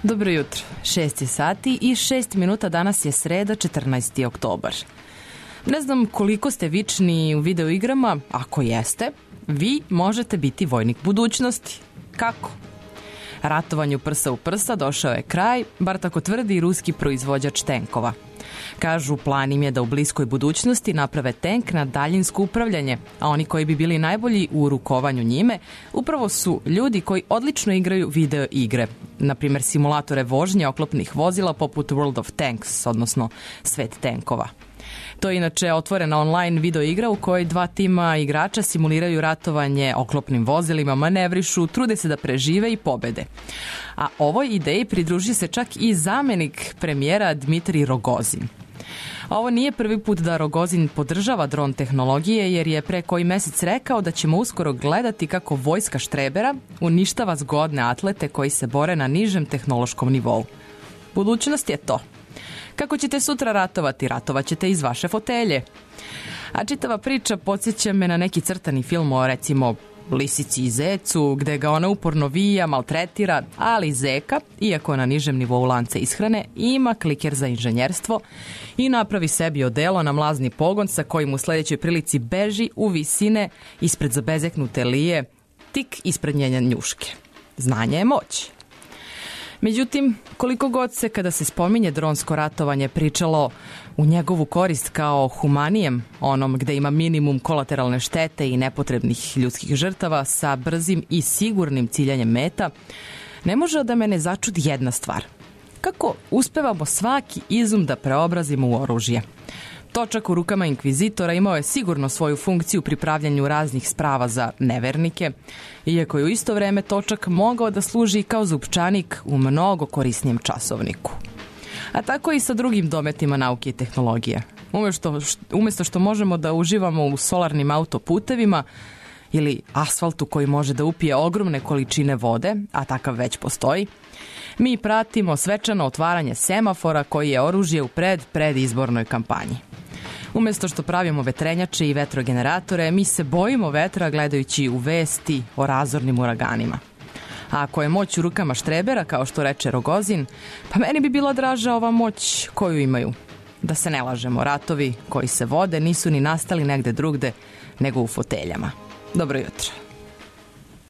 Dobro jutro, 6 sati i 6 minuta, danas je sreda, 14. oktobar. Ne znam koliko ste vični u videoigrama, ako jeste, vi možete biti vojnik budućnosti. Kako? Ratovanju prsa u prsa došao je kraj, bar tako tvrdi i ruski proizvođač tenkova. Kažu, plan im je da u bliskoj budućnosti naprave tenk na daljinsko upravljanje, a oni koji bi bili najbolji u rukovanju njime upravo su ljudi koji odlično igraju video igre, na primjer simulatore vožnje oklopnih vozila poput World of Tanks, odnosno Svet tenkova. To je inače otvorena online video igra u kojoj dva tima igrača simuliraju ratovanje oklopnim vozilima, manevrišu, trude se da prežive i pobede. A ovoj ideji pridruži se čak i zamenik premijera Dmitrij Rogozin. Ovo nije prvi put da Rogozin podržava dron tehnologije, jer je pre koji mesec rekao da ćemo uskoro gledati kako vojska štrebera uništava zgodne atlete koji se bore na nižem tehnološkom nivou. Budućnost je to. Kako ćete sutra ratovati? Ratovat ćete iz vaše fotelje. A čitava priča podsjeća me na neki crtani film o, recimo, lisici i zecu, gde ga ona uporno vija, maltretira, ali zeka, iako na nižem nivou lanca ishrane, ima kliker za inženjerstvo i napravi sebi odelo na mlazni pogon sa kojim u sledećoj prilici beži u visine ispred zabezeknute lije, tik ispred njene njuške. Znanje je moć. Međutim, koliko god se kada se spominje dronsko ratovanje pričalo u njegovu korist kao humanijem, onom gde ima minimum kolateralne štete i nepotrebnih ljudskih žrtava sa brzim i sigurnim ciljanjem meta, ne može da me ne začudi jedna stvar. Kako uspevamo svaki izum da preobrazimo u oružje? Točak u rukama inkvizitora imao je sigurno svoju funkciju pri pravljanju raznih sprava za nevernike, iako je u isto vreme točak mogao da služi kao zupčanik u mnogo korisnijem časovniku. A tako i sa drugim dometima nauke i tehnologije. Umesto što možemo da uživamo u solarnim autoputevima ili asfaltu koji može da upije ogromne količine vode, a takav već postoji, mi pratimo svečano otvaranje semafora koji je oružje u predizbornoj kampanji. Umesto što pravimo vetrenjače i vetrogeneratore, mi se bojimo vetra gledajući u vesti o razornim uraganima. A ako je moć u rukama štrebera, kao što reče Rogozin, pa meni bi bila draža ova moć koju imaju. Da se ne lažemo, ratovi koji se vode nisu ni nastali negde drugde nego u foteljama. Dobro jutro.